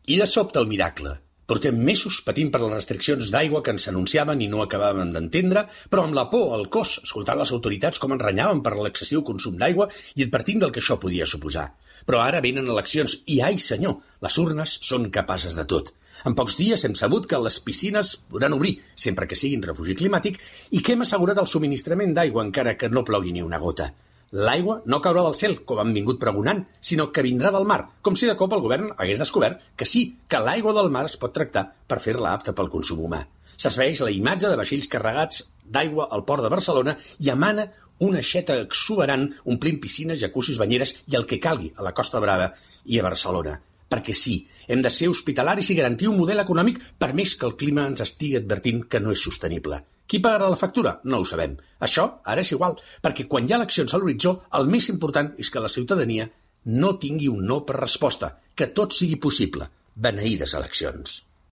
I de sobte el miracle. Portem mesos patint per les restriccions d'aigua que ens anunciaven i no acabàvem d'entendre, però amb la por al cos, escoltant les autoritats com ens renyaven per l'excessiu consum d'aigua i advertint del que això podia suposar. Però ara venen eleccions i, ai senyor, les urnes són capaces de tot. En pocs dies hem sabut que les piscines podran obrir, sempre que siguin refugi climàtic, i que hem assegurat el subministrament d'aigua encara que no plogui ni una gota. L'aigua no caurà del cel, com han vingut pregonant, sinó que vindrà del mar, com si de cop el govern hagués descobert que sí, que l'aigua del mar es pot tractar per fer-la apta pel consum humà. S'esveeix la imatge de vaixells carregats d'aigua al port de Barcelona i emana una aixeta exuberant omplint piscines, jacuzzis, banyeres i el que calgui a la Costa Brava i a Barcelona. Perquè sí, hem de ser hospitalaris i garantir un model econòmic per més que el clima ens estigui advertint que no és sostenible. Qui pagarà la factura? No ho sabem. Això ara és igual, perquè quan hi ha eleccions a l'horitzó, el més important és que la ciutadania no tingui un no per resposta, que tot sigui possible. Beneïdes eleccions.